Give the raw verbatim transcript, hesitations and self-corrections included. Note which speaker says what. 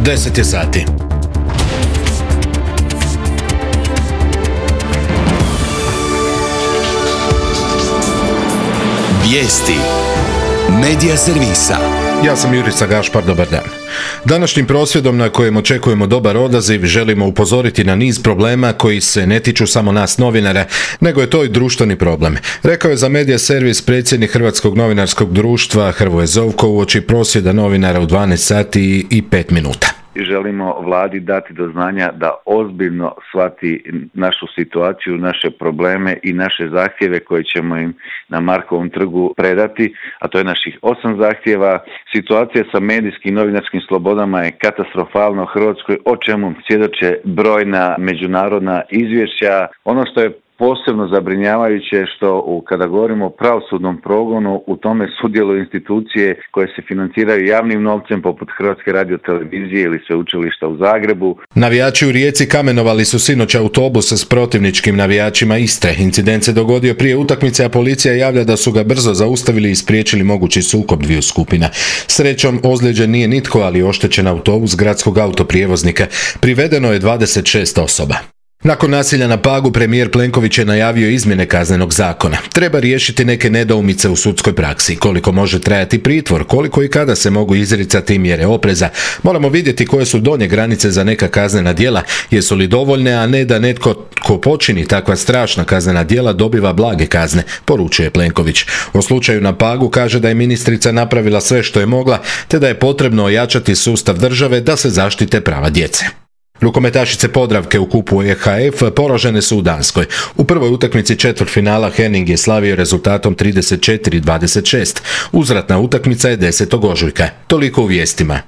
Speaker 1: deset je sati.
Speaker 2: Vijesti Medija servisa.
Speaker 1: Ja sam Jurica Gašpar, dobar dan. Današnjim prosvjedom na kojem očekujemo dobar odaziv želimo upozoriti na niz problema koji se ne tiču samo nas novinara, nego je to i društveni problem. Rekao je za Medija servis predsjednik Hrvatskog novinarskog društva Hrvoje Zovko uoči prosvjeda novinara u dvanaest sati i pet minuta.
Speaker 3: Želimo vladi dati do znanja da ozbiljno shvati našu situaciju, naše probleme i naše zahtjeve koje ćemo im na Markovom trgu predati, a to je naših osam zahtjeva. Situacija sa medijskim i novinarskim slobodama je katastrofalna u Hrvatskoj, o čemu svjedoče brojna međunarodna izvješća. Ono što je posebno zabrinjavajuće što u, kada govorimo o pravosudnom progonu, u tome sudjeluju institucije koje se financiraju javnim novcem poput Hrvatske radiotelevizije ili Sveučilišta u Zagrebu.
Speaker 1: Navijači u Rijeci kamenovali su sinoć autobus s protivničkim navijačima Istre. Incident se dogodio prije utakmice, a policija javlja da su ga brzo zaustavili i spriječili mogući sukob dviju skupina. Srećom, ozlijeđen nije nitko, ali oštećen autobus gradskog autoprijevoznika. Privedeno je dvadeset šest osoba. Nakon nasilja na Pagu, premijer Plenković je najavio izmjene kaznenog zakona. Treba riješiti neke nedoumice u sudskoj praksi. Koliko može trajati pritvor, koliko i kada se mogu izricati mjere opreza. Moramo vidjeti koje su donje granice za neka kaznena djela, jesu li dovoljne, a ne da netko ko počini takva strašna kaznena djela dobiva blage kazne, poručuje Plenković. O slučaju na Pagu kaže da je ministrica napravila sve što je mogla, te da je potrebno ojačati sustav države da se zaštite prava djece. Rukometašice Podravke u kupu E H F poražene su u Danskoj. U prvoj utakmici četvrtfinala Henning je slavio rezultatom trideset četiri dvadeset šest. Uzvratna utakmica je desetog ožujka. Toliko u vijestima.